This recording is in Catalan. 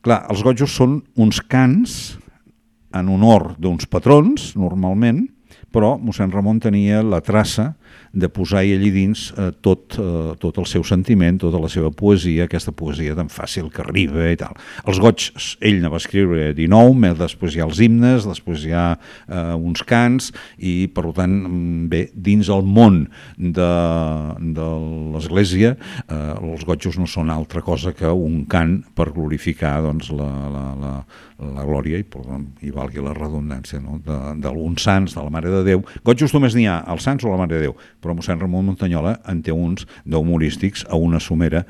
Clar, els gojos són uns cants en honor d'uns patrons, normalment, però mossèn Ramon tenia la traça de posar-hi allí dins tot el seu sentiment, tota la seva poesia, aquesta poesia tan fàcil que arriba i tal. Els goigs, ell ne va escriure 19, després hi ha els himnes, després hi ha uns cants, i per tant, bé, dins el món de l'Església, els gojos no són altra cosa que un cant per glorificar doncs, la glòria, i valgui la redundància, no? D'alguns sants, de la Mare de Déu. Gojos només n'hi ha, els sants o la Mare de Déu, però mossèn Ramon Muntanyola en té uns d'humorístics a una somera